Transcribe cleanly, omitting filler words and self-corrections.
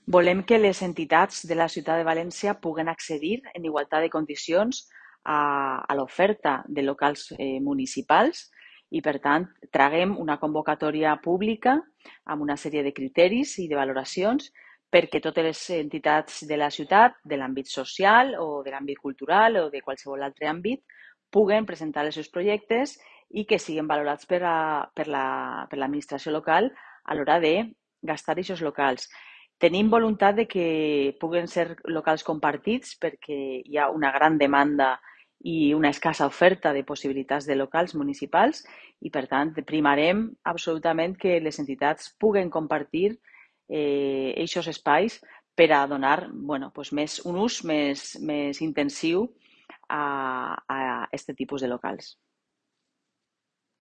Volem que les entitats de la ciutat de València puguen accedir en igualtat de condicions a l'oferta de locals municipals i, per tant, traguem una convocatòria pública amb una sèrie de criteris i de valoracions perquè totes les entitats de la ciutat, de l'àmbit social o de l'àmbit cultural o de qualsevol altre àmbit, puguen presentar els seus projectes i que siguin valorats per l'administració local a l'hora de gastar aquests locals. Tenim voluntat de que puguen ser locals compartits perquè hi ha una gran demanda i una escassa oferta de possibilitats de locals municipals i, per tant, primarem absolutament que les entitats puguen compartir aquests espais per a donar un ús més intensiu a aquest tipus de locals.